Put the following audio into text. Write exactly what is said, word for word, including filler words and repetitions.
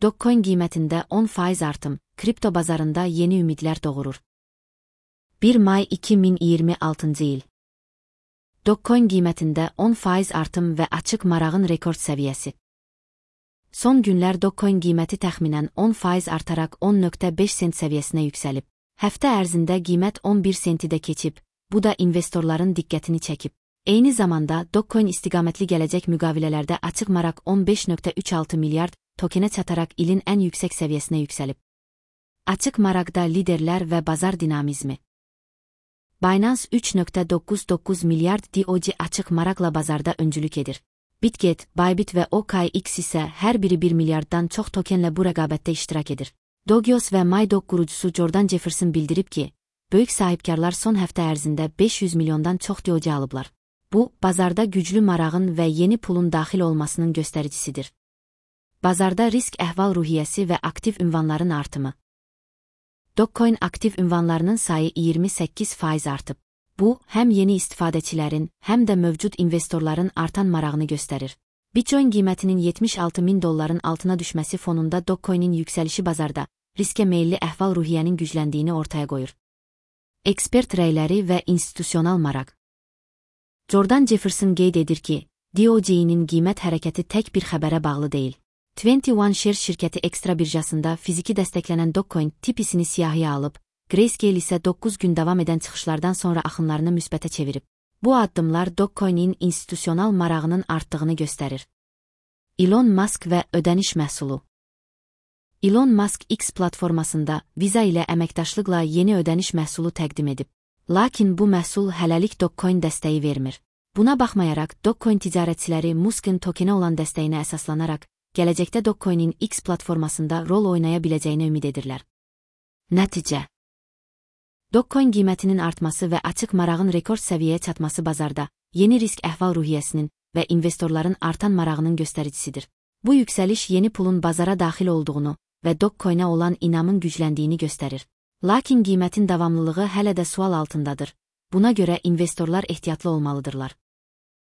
Dogecoin qiymətində on faiz artım, kripto bazarında yeni ümidlər doğurur. bir may iki min iyirmi altıncı il. Dogecoin qiymətində on faiz artım və açıq marağın rekord səviyyəsi. Son günlər Dogecoin qiyməti təxminən on faiz artaraq on nöqtə beş sent səviyyəsinə yüksəlib. Həftə ərzində qiymət on bir senti də keçib, bu da investorların diqqətini çəkib. Eyni zamanda Dogecoin istiqamətli gələcək müqavilələrdə açıq maraq on beş nöqtə üç altı milyard tokenə çataraq ilin ən yüksək səviyyəsinə yüksəlib. Açıq maraqda liderlər və bazar dinamizmi. Binance üç nöqtə doqquz doqquz milyard D O G açıq maraqla bazarda öncülük edir. Bitget, Bybit və O K X isə hər biri bir milyarddan çox tokenlə bu rəqabətdə iştirak edir. Dogeos və MyDoge qurucusu Jordan Jefferson bildirib ki, böyük sahibkarlar son həftə ərzində beş yüz milyondan çox D O G alıblar. Bu, bazarda güclü marağın və yeni pulun daxil olmasının göstəricisidir. Bazarda risk əhval-ruhiyyəsi və aktiv ünvanların artımı. Dogecoin aktiv ünvanlarının sayı iyirmi səkkiz faiz artıb. Bu, həm yeni istifadəçilərin, həm də mövcud investorların artan marağını göstərir. Bitcoin qiymətinin yetmiş altı min dolların altına düşməsi fonunda Dogecoinin yüksəlişi bazarda, riskə meyilli əhval-ruhiyyənin gücləndiyini ortaya qoyur. Ekspert rəyləri və institusional maraq. Jordan Jefferson qeyd edir ki, D O G-nin qiymət hərəkəti tək bir xəbərə bağlı deyil. iyirmi bir Shares şirkəti ekstra birjasında fiziki dəstəklənən Dogecoin tipisini siyahıya alıb, Grayscale isə doqquz gün davam edən çıxışlardan sonra axınlarını müsbətə çevirib. Bu addımlar Dogecoinin institusional marağının artdığını göstərir. Elon Musk və ödəniş məhsulu. Elon Musk X platformasında Visa ilə əməkdaşlıqla yeni ödəniş məhsulu təqdim edib. Lakin bu məhsul hələlik Dogecoin dəstəyi vermir. Buna baxmayaraq, Dogecoin ticarətçiləri Musk'ın tokenə olan dəstəyinə əsaslanaraq, gələcəkdə Dogecoinin X platformasında rol oynaya biləcəyini ümid edirlər. Nəticə. Dogecoin qiymətinin artması və açıq marağın rekord səviyyəyə çatması bazarda, yeni risk əhval-ruhiyyəsinin və investorların artan marağının göstəricisidir. Bu yüksəliş yeni pulun bazara daxil olduğunu və Dogecoinə olan inamın gücləndiyini göstərir. Lakin qiymətin davamlılığı hələ də sual altındadır. Buna görə investorlar ehtiyatlı olmalıdırlar.